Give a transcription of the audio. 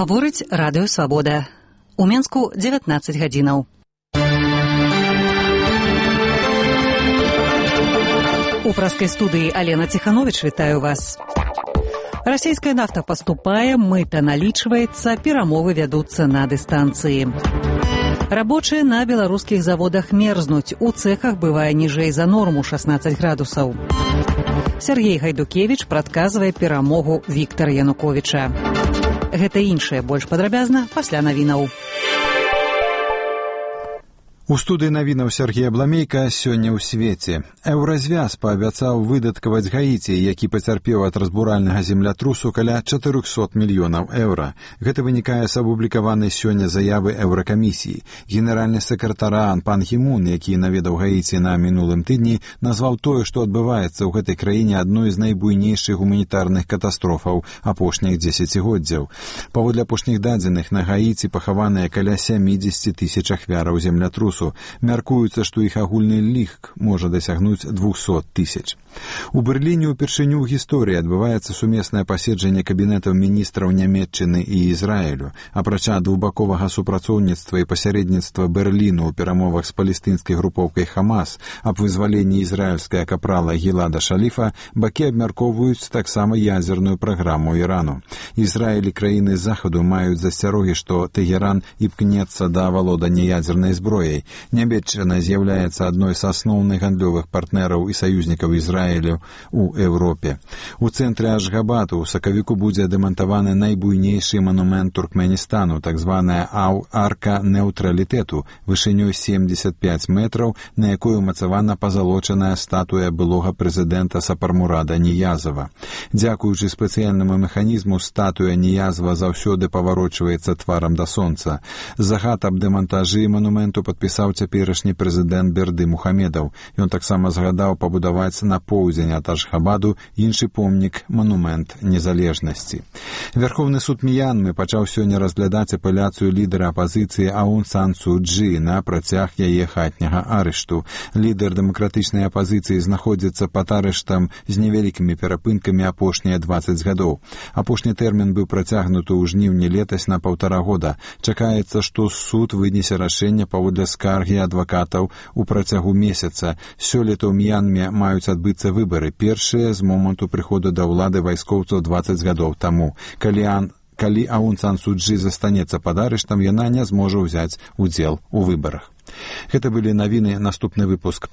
Гаворыць радыё «Свабода». У Менску 19 гадзінаў. У праскай студыі Алена Ціхановіч вітаю вас. Расійская нафта паступае, мыта налічваецца, перамовы вядуцца на дыстанцыі. Рабочыя на беларускіх заводах мерзнуць, у цэхах бывае ніжэй за норму 16 градусаў. Сергей Гайдукевіч прадказвае перамогу Віктара Януковіча. Гэта іншае больш падрабязна пасля навінаў. У студыі навінаў Сергея Бламейка сёння ў свеце. Еўразвяз паабяцаў выдаткаваць Гаіці, які пацярпеў ад разбуральнага землятрусу каля 400 мільёнаў еўра. Гэта вынікае з апублікаванай сёння заявы Еўракамісіі. Генеральны сакратар пан Гімун, які наведаў Гаіці на мінулым тыдні, назваў тое, што адбываецца ў гэтай краіне адной з найбуйнейшых гуманітарных катастрофаў апошніх дзесяцігоддзяў. Паводле апошніх дадзеных, на Гаіці пахаваныя каля 70 тысяч ахвяраў землятрусу. Мяркуецца, што іх агульны лік можа дасягнуць 200 тысяч. У Берліне ўпершыню ў гісторыі адбываецца сумеснае паседжанне кабінетаў міністраў Нямецчыны і Ізраілю. Апрача двухбаковага супрацоўніцтва і пасярэдніцтва Берліну ў перамовах з палестынскай групоўкай Хамас аб вызваленні ізраільскага капрала Гілада Шаліфа, бакі абмяркоўваюць таксама ядзерную праграму Ірану. Ізраіль і краіны захаду маюць засцярогі, што Тэгеран імкнецца да авалодання ядзернай зброяй. Нямецчына з'яўляецца адной з асноўных гандлёвых партнераў і саюзнікаў Ізраілю ў Еўропе. У цэнтры Ашгабаду ў сакавіку будзе дэмантаваны найбуйнейшы манумент Туркменістану, так званая арка неўтралітэту, вышынёй 75 метраў, на якой умацавана пазалочаная статуя былога прэзідэнта Сапармурада Ніязава. Дзякуючы спецыяльнаму механізму, статуя Ніязава заўсёды паварочваецца тварам да сонца. Загад аб дэмантажы манументу падпісаў цяперашні прэзідэнт Берды Мухамедаў. Ён таксама загадаў пабудаваць на поўдзень ад Ашхабаду іншы помнік манумент незалежнасці. Верховны суд Мьянмы пачаў сёння разглядаць апеляцыю лідара апазіцыі Аун Сан Су Чжы на працяг яе хатняга арышту. Лідар дэмакратычнай апазіцыі знаходзіцца пад арыштам з невялікімі перапынкамі апошнія 20 гадоў. Апошні тэрмін быў працягнуты ў жніўні летась на 1,5 года. Чакаецца, што суд вынесе рашэнне паводле скаргі адвакатаў у працягу месяца. Сёлета ў Мьянме маюць адбыцца выбары, першыя з моманту прыходу да ўлады вайскоўцаў 20 гадоў таму. Калі Аун Сан Су Чжы застанецца пад арыштам, яна не зможа ўзяць удзел у выбарах. Гэта былі навіны, наступны выпуск